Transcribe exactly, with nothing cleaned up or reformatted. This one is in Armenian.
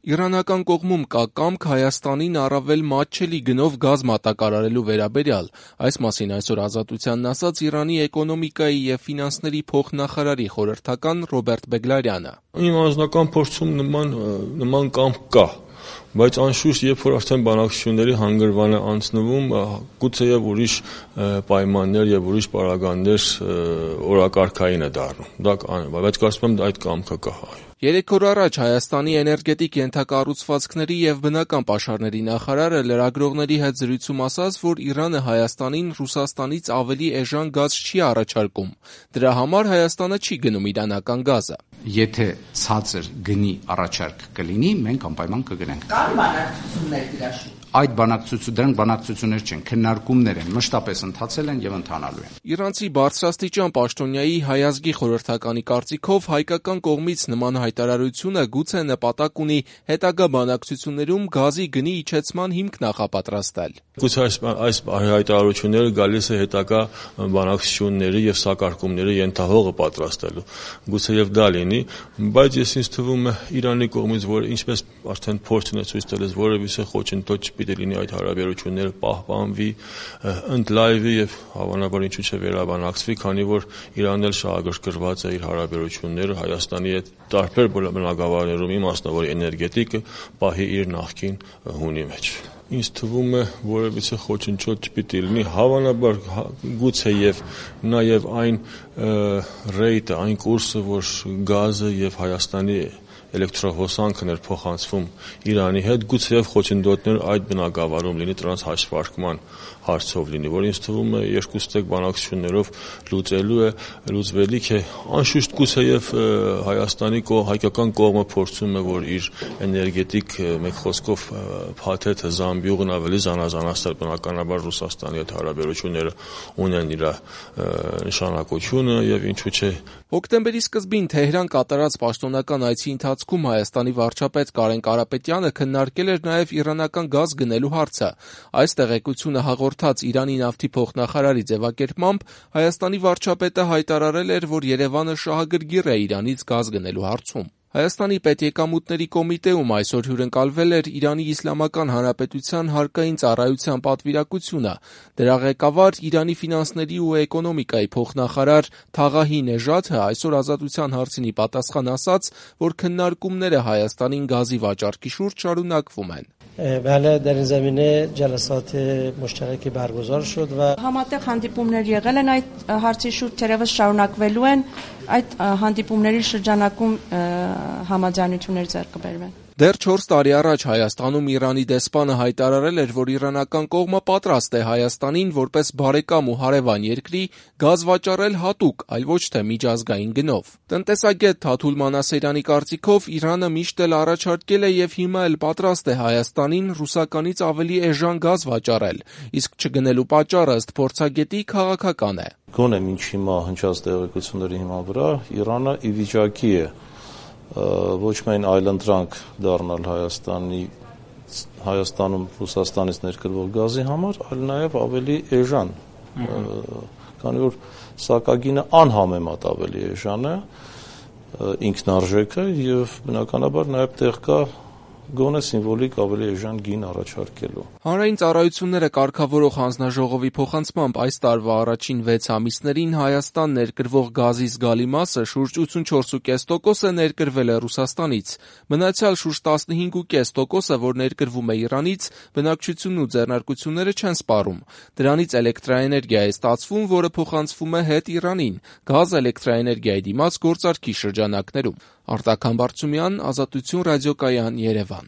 Իրանական կողմում կա կամք Հայաստանին առավել մատչելի գնով գազ մատակարարելու վերաբերյալ: Այս մասին այսօր Ազատությանն ասաց Իրանի էկոնոմիկայի և ֆինանսների փոխնախարարի խորհրդական Ռոբերտ Բեգլարյանը: Իմ անձնական փորձում նման, նման կամք կա, բայց անշուշտ երբ որ արդեն բանակցությունների հանգրվան է անցնվում, գուցեև ուրիշ պայմաններ և ուրիշ պարագաներ օրակարգային է դառնում, դա կանենում, բայց կարծում եմ այդ կամքը կա: Երեք օր առաջ Հայաստանի էներգետիկ ենթակառուցվածքների և բնական պաշարների նախարարը լրագրողների հետ զրույցում ասաց, որ Իրանը Հայաստանին Ռուսաստանից ավելի էժան գազ չի առաջարկում: Դրա համար Հայաստանը չի գնում իրանական գազը: Եթե ցածր գնի առաջարկ կլինի, մենք անպայման կգնենք: Կան բանակցություններ դրա շուրջ: Այդ բանակցությունները բանակցություններ չեն, քննարկումներ են, մշտապես ընթացել են և ընթանալու են: Իրանցի բարձրաստիճան պաշտոնյայի Հայ ազգի խորհրդականի կարծիքով հայկական կողմից նման հայտարարությունը գուցե նպատակ ունի հետագա բանակցություններում գազի գնի իջեցման հիմք նախապատրաստել: Գուցե այս հայտարարությունները գալիս է հետագա բանակցությունների և սակարկումների ենթահողը պատրաստելու, գուցեև դա լինի, բայց ես ինձ թվում է Իրանի կողմից, որ ինչպես արդեն փորձն է ցույց տալիս, որևիցե խոչընդոտ չպիտի լինի այդ հարաբերությունները պահպանվի, ընդլայնվի և հավանաբար ինչու չէ վերաբանակցվի, քանի որ Իրանն էլ շահագրգռված է իր հարաբերությունները Հայաստանի հետ տարբեր բնագավառներում, իմասնավոր էներգետիկը պահի իր նախկին հունի մեջ: Ինձ թվում է որևիցե խոչընդոտ չպիտի լինի, հավանաբար գուցեև նաև այն ռեյտը, այն կուրսը, որ գազը և Հայաստանի էլեկտրահոսանքն էր փոխանցվում Իրանի հետ, գուցեև խոչընդոտներ այդ բնագավառում լինի, դրանց հաշվարկման հարցով լինի, որ ինձ թվում է երկուստեք բանակցություններով լուծելու է, լուծվելիք է: Անշուշտ գուցեև Հայաստանի, հայկական կողմը փորձում է, որ իր էներգետիկ, մեկ խոսքով փաթեթը, զամբյուղն ավելի զանազանացնել, բնականաբար Ռուսաստանի հետ հարաբերությունները ունեն իր նշանակությունը և ինչու չէ: Հոկտեմբերի սկզբին Թեհրան կատարած պաշտոնական այցի ընթացքում Հայաստանի վարչապետ Կարեն Կարապետյանը քննարկել էր նաև իրանական գազ գնելու հարցը: Այս տեղեկությունը հաղորդած Իրանի նավթի փոխնախարարի ձևակերպմամբ Հայաստանի վարչապետը հայտարարել էր, որ Երևանը շահագրգիռ է Իրանից գազ գնելու հարցում: Հայաստանի պետեկամուտների կոմիտեում այսօր հյուրընկալվել էր Իրանի Իսլամական Հանրապետության հարկային ծառայության պատվիրակությունը: Դրա ղեկավար, Իրանի ֆինանսների ու էկոնոմիկայի փոխնախարար Թաղահի Նեժաթը այսօր Ազատության հարցին ի պատասխան ասաց, որ քննարկումները Հայաստանին գազի վաճառքի շուրջ շարունակվում են: Համատեղ հանդիպումներ եղել են այդ հարցի շուրջ, թերևս շարունակվելու են, այդ հանդիպումների շրջանակում համաձայնություններ ձեռք կբերվեն: Դեռ չորս տարի առաջ Հայաստանում Իրանի դեսպանը հայտարարել էր, որ իրանական կողմը պատրաստ է Հայաստանին, որպես բարեկամ ու հարևան երկրի, գազ վաճառել հատուկ, այլ ոչ թե միջազգային գնով: Տնտեսագետ Թաթուլ Մանասերյանի կարծիքով Իրանը միշտ էլ առաջարկել է և հիմա էլ պատրաստ է Հայաստանին ռուսականից ավելի էժան գազ վաճառել, իսկ չգնելու պատճառը ըստ փորձագետի քաղաքական է: Գոնե մինչ հիմա հնչած տեղեկությունների հիման վրա Իրանը ի վիճակի է ոչ միայն այլընտրանք դառնալ Հայաստանի, Հայաստանում Ռուսաստանից ներկրվող գազի համար, այլ նաև ավելի էժան, քանի որ սակագինը անհամեմատ ավելի էժան է, ինքնարժեք է և բնականաբար նաև տեղ կա գոնե սիմվոլիկ ավելի էժան գին առաջարկելու: Հանրային ծառայությունները կարգավորող հանձնաժողովի փոխանցմամբ այս տարվա առաջին վեց ամիսներին Հայաստան ներկրվող գազի զգալի մասը, շուրջ ութսունչորս կόμμα պենս տոկոսը ներկրվել է Ռուսաստանից: Մնացյալ շուրջ տասնհինգ կόμμα պենս տոկոսը, որ ներկրվում է Իրանից, բնակչությունն ու ձեռնարկությունները չեն սպառում: Դրանից էլեկտրաէներգիա է ստացվում, որը փոխանցվում է հետ Իրանին, գազ էլեկտրաէներգիայի դիմաց գործարքի շրջանակներում: Արտակ Համբարձումյան, Ազատություն ռադիոկայան, Երևան: